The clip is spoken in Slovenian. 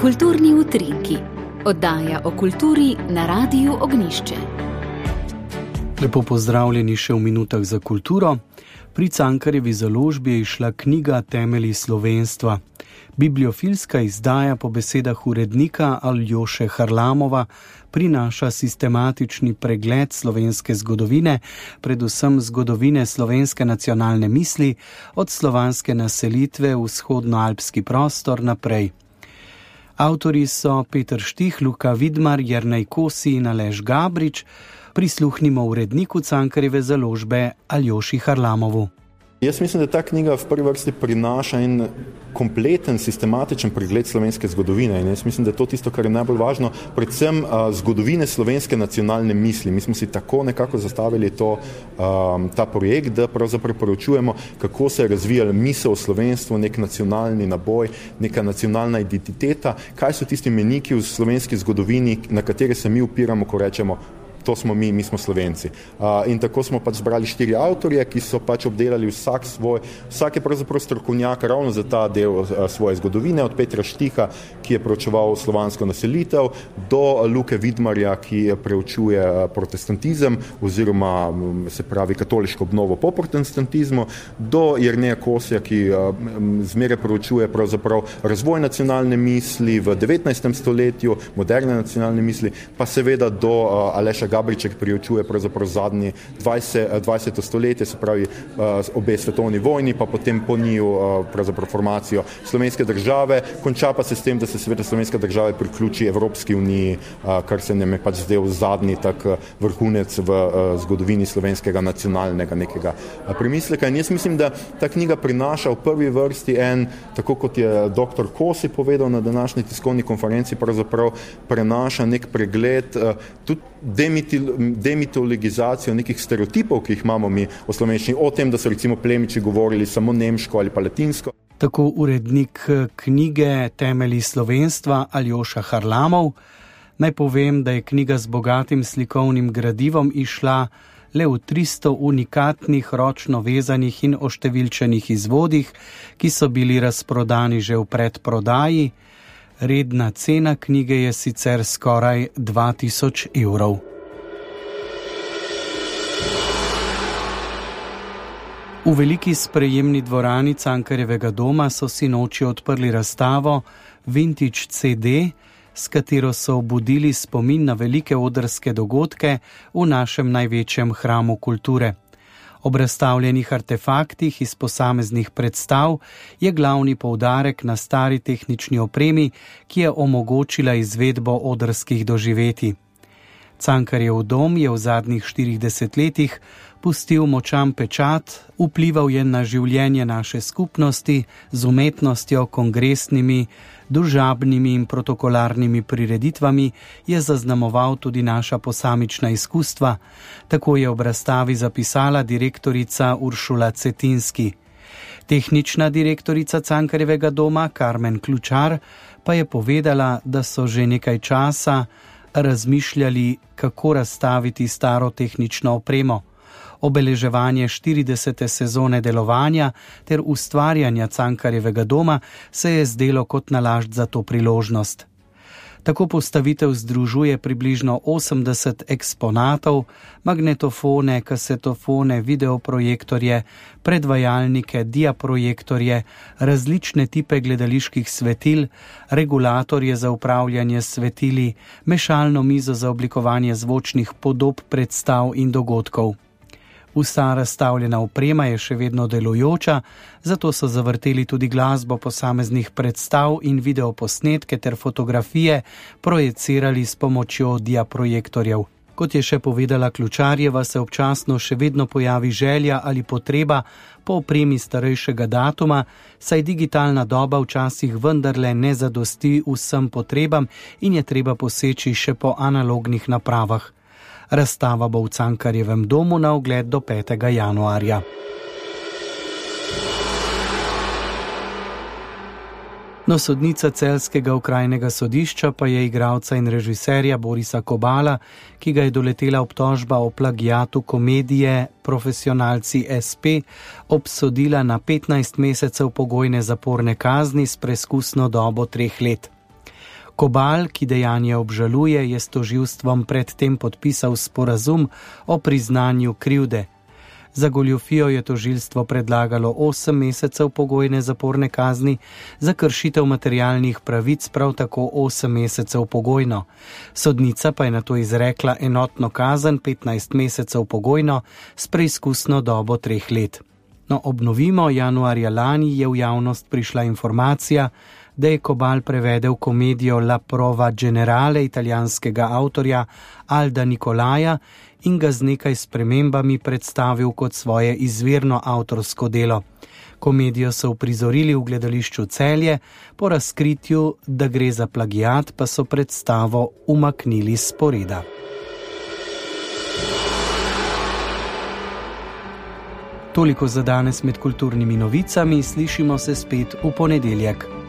Kulturni utrinki. Oddaja o kulturi na Radiu Ognjišče. Lepo pozdravljeni še v minutah za kulturo. Pri Cankarjevi založbi je izšla knjiga Temelji slovenstva. Bibliofilska izdaja po besedah urednika Aljoše Harlamova prinaša sistematični pregled slovenske zgodovine, predvsem zgodovine slovenske nacionalne misli, od slovanske naselitve v vzhodnoalpski prostor naprej. Avtorji so Peter Štih, Luka Vidmar, Jernej Kosi in Aleš Gabrič. Prisluhnimo uredniku Cankarjeve založbe Aljoši Harlamovu. Jaz mislim, da ta knjiga v prvi vrsti prinaša en kompleten, sistematičen pregled slovenske zgodovine in jaz mislim, da je to tisto, kar je najbolj važno, predvsem zgodovine slovenske nacionalne misli. Mi smo si tako nekako zastavili ta projekt, da pravzaprav preučujemo, kako se je razvijala misel o slovenstvu, nek nacionalni naboj, neka nacionalna identiteta, kaj so tisti meniki v slovenski zgodovini, na katere se mi upiramo, ko rečemo, to smo mi smo Slovenci. In tako smo pač zbrali 4 avtorje, ki so pač obdelali vsak je pravzaprav strokovnjak ravno za ta del svoje zgodovine, od Petra Štiha, ki je preučeval slovansko naselitev, do Luke Vidmarja, ki preučuje protestantizem oziroma se pravi katoliško obnovo po protestantizmu, do Jerneja Kosija, ki zmeraj preučuje pravzaprav razvoj nacionalne misli v 19. stoletju, moderne nacionalne misli, pa seveda do Aleša Gabriček preučuje pravzaprav zadnji 20. stoletje, se pravi obe svetovni vojni, pa potem po njiju pravzaprav formacijo slovenske države, konča pa se s tem, da se seveda slovenska država priključi Evropski uniji, kar se nam je pač zdel zadnji tak vrhunec v zgodovini slovenskega nacionalnega nekega premisleka. In jaz mislim, da ta knjiga prinaša v prvi vrsti tako kot je dr. Kosi povedal na današnji tiskovni konferenci, pravzaprav prenaša nek pregled, tudi demitologizacijo nekih stereotipov, ki jih imamo mi o slovenščini, o tem, da so recimo plemiči govorili samo nemško ali pa latinsko. Tako urednik knjige Temelji slovenstva Aljoša Harlamov. Naj povem, da je knjiga z bogatim slikovnim gradivom izšla le v 300 unikatnih, ročno vezanih in oštevilčenih izvodih, ki so bili razprodani že v predprodaji. Redna cena knjige je sicer skoraj 2000 evrov. V veliki sprejemni dvorani Cankarjevega doma so sinoči odprli razstavo Vintage CD, s katero so obudili spomin na velike odrske dogodke v našem največjem hramu kulture. Ob razstavljenih artefaktih iz posameznih predstav je glavni poudarek na stari tehnični opremi, ki je omogočila izvedbo odrskih doživetij. Cankarjev dom je v zadnjih 40 letih pustil močan pečat, vplival je na življenje naše skupnosti z umetnostjo, kongresnimi, družabnimi in protokolarnimi prireditvami, je zaznamoval tudi naša posamična izkustva, tako je ob razstavi zapisala direktorica Uršula Cetinski. Tehnična direktorica Cankarjevega doma Karmen Ključar pa je povedala, da so že nekaj časa razmišljali, kako razstaviti staro tehnično opremo. Obeleževanje 40. sezone delovanja ter ustvarjanja Cankarjevega doma se je zdelo kot nalašč za to priložnost. Tako postavitev združuje približno 80 eksponatov, magnetofone, kasetofone, videoprojektorje, predvajalnike, diaprojektorje, različne tipe gledaliških svetil, regulatorje za upravljanje svetili, mešalno mizo za oblikovanje zvočnih podob predstav in dogodkov. Vsa razstavljena oprema je še vedno delujoča, zato so zavrteli tudi glasbo posameznih predstav in videoposnetke ter fotografije projecirali s pomočjo diaprojektorjev. Kot je še povedala Ključarjeva, se občasno še vedno pojavi želja ali potreba po opremi starejšega datuma, saj digitalna doba včasih vendarle ne zadosti vsem potrebam in je treba poseči še po analognih napravah. Razstava bo v Cankarjevem domu na ogled do 5. januarja. No, sodnica celjskega okrajnega sodišča pa je igralca in režiserja Borisa Kobala, ki ga je doletela obtožba o plagiatu komedije Profesionalci SP, obsodila na 15 mesecev pogojne zaporne kazni s preskusno dobo 3 let. Kobal, ki dejanje obžaluje, je s tožilstvom predtem podpisal sporazum o priznanju krivde. Za goljufijo je tožilstvo predlagalo 8 mesecev pogojne zaporne kazni, za kršitev materialnih pravic prav tako 8 mesecev pogojno. Sodnica pa je nato izrekla enotno kazen 15 mesecev pogojno s preizkusno dobo 3 let. No, obnovimo, januarja lani je v javnost prišla informacija, da je Kobal prevedel komedijo La prova generale italijanskega avtorja Alda Nicolaja in ga z nekaj spremembami predstavil kot svoje izvirno avtorsko delo. Komedijo so uprizorili v gledališču Celje, po razkritju, da gre za plagiat, pa so predstavo umaknili s sporeda. Toliko za danes med kulturnimi novicami, slišimo se spet v ponedeljek.